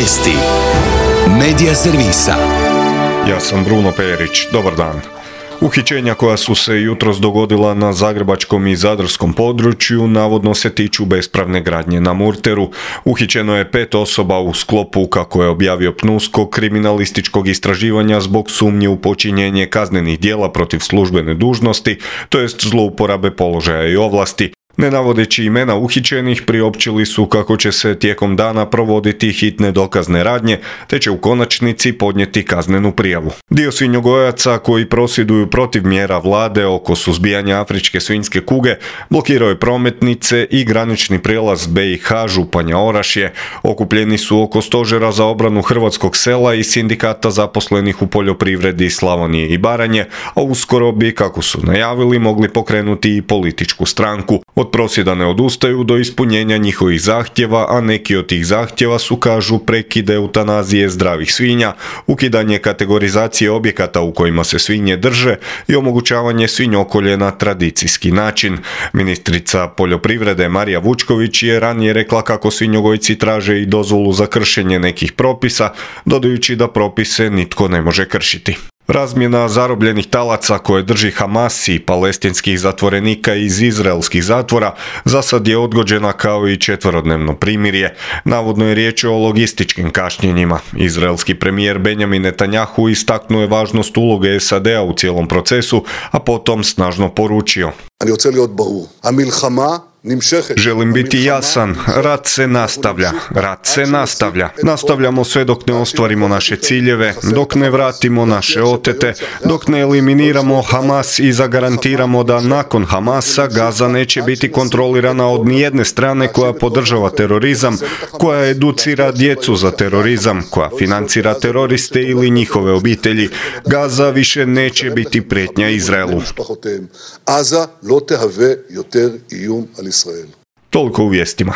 Vijesti Medija servisa. Ja sam Bruno Perić. Dobar dan. Uhićenja koja su se jutros dogodila na zagrebačkom i zadarskom području navodno se tiču bespravne gradnje na Murteru. Uhićeno je 5 osoba u sklopu, kako je objavio PNUSKOK, kriminalističkog istraživanja zbog sumnje u počinjenje kaznenih djela protiv službene dužnosti, to jest zlouporabe položaja i ovlasti. Ne navodeći imena uhićenih, priopćili su kako će se tijekom dana provoditi hitne dokazne radnje, te će u konačnici podnijeti kaznenu prijavu. Dio svinjogojaca koji prosvjeduju protiv mjera vlade oko suzbijanja afričke svinjske kuge blokirao je prometnice i granični prijelaz BiH Županja Orašje. Okupljeni su oko stožera za obranu hrvatskog sela i sindikata zaposlenih u poljoprivredi Slavonije i Baranje, a uskoro bi, kako su najavili, mogli pokrenuti i političku stranku. Od prosvjeda ne odustaju do ispunjenja njihovih zahtjeva, a neki od tih zahtjeva su, kažu, prekid eutanazije zdravih svinja, ukidanje kategorizacije objekata u kojima se svinje drže i omogućavanje svinjokolje na tradicijski način. Ministrica poljoprivrede Marija Vučković je ranije rekla kako svinjogojci traže i dozvolu za kršenje nekih propisa, dodajući da propise nitko ne može kršiti. Razmjena zarobljenih talaca koje drži Hamas i palestinskih zatvorenika iz izraelskih zatvora za sad je odgođena kao i 4-dnevno primirje. Navodno je riječ o logističkim kašnjenjima. Izraelski premijer Benjamin Netanjahu istaknuo je važnost uloge SAD-a u cijelom procesu, a potom snažno poručio: želim biti jasan, rat se nastavlja. Nastavljamo sve dok ne ostvarimo naše ciljeve, dok ne vratimo naše otete, dok ne eliminiramo Hamas i zagarantiramo da nakon Hamasa Gaza neće biti kontrolirana od nijedne strane koja podržava terorizam, koja educira djecu za terorizam, koja financira teroriste ili njihove obitelji. Gaza više neće biti prijetnja Izraelu. Toliko u vijestima.